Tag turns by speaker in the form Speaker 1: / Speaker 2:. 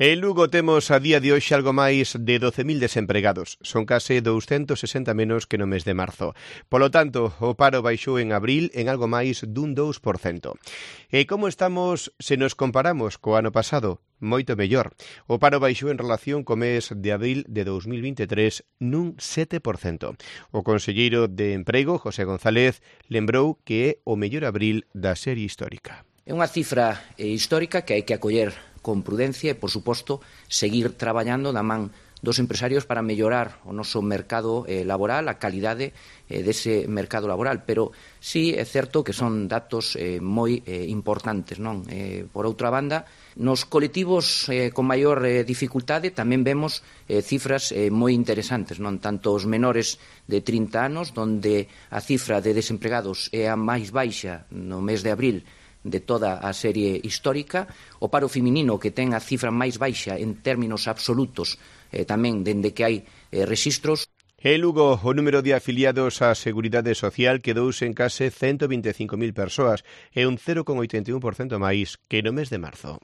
Speaker 1: En Lugo temos a día de hoxe algo máis de 12.000 desempregados. Son case 260 menos que no mes de marzo. Polo tanto, o paro baixou en abril en algo máis dun 2%. E como estamos se nos comparamos co ano pasado? Moito mellor. O paro baixou en relación co mes de abril de 2023 nun 7%. O conselleiro de Emprego, José González, lembrou que é o mellor abril da serie histórica.
Speaker 2: É unha cifra histórica que hai que acoller con prudencia e, por suposto, seguir traballando da man dos empresarios para mellorar o noso mercado laboral, a calidade dese mercado laboral. Pero sí é certo que son datos moi importantes, non? Por outra banda, nos colectivos con maior dificultade tamén vemos cifras moi interesantes, non? Tanto os menores de 30 anos, onde a cifra de desempregados é a máis baixa no mes de abril de toda a serie histórica, o paro feminino que ten a cifra máis baixa en términos absolutos tamén dende que hai rexistros.
Speaker 1: En Lugo, o número de afiliados á Seguridade Social quedouse en case 125.000 persoas e un 0,81% máis que no mes de marzo.